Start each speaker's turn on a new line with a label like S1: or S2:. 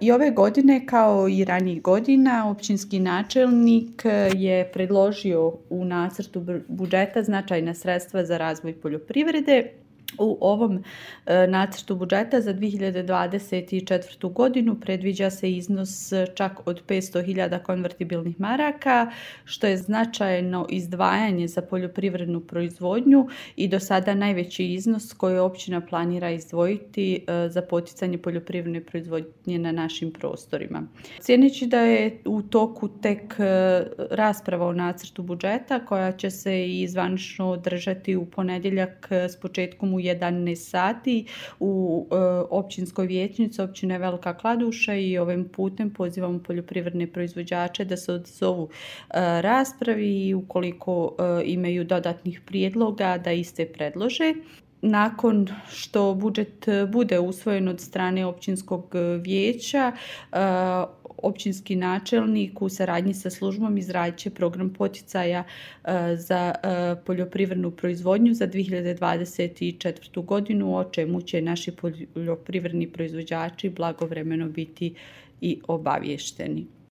S1: I ove godine, kao i ranijih godina, općinski načelnik je predložio u nacrtu budžeta značajna sredstva za razvoj poljoprivrede. U ovom nacrtu budžeta za 2024. godinu predviđa se iznos čak od 500.000 konvertibilnih maraka, što je značajno izdvajanje za poljoprivrednu proizvodnju i do sada najveći iznos koji općina planira izdvojiti za poticanje poljoprivredne proizvodnje na našim prostorima. Cijeneći da je u toku tek rasprava o nacrtu budžeta koja će se i zvanično održati u ponedjeljak s početkom u 11 sati u općinskoj vijećnici općine Velika Kladuša, i ovim putem pozivamo poljoprivredne proizvođače da se odzovu raspravi i ukoliko imaju dodatnih prijedloga da iste predlože. Nakon što budžet bude usvojen od strane općinskog vijeća, općinski načelnik u saradnji sa službom izradit će program poticaja za poljoprivrednu proizvodnju za 2024. godinu, o čemu će naši poljoprivredni proizvođači blagovremeno biti i obavješteni.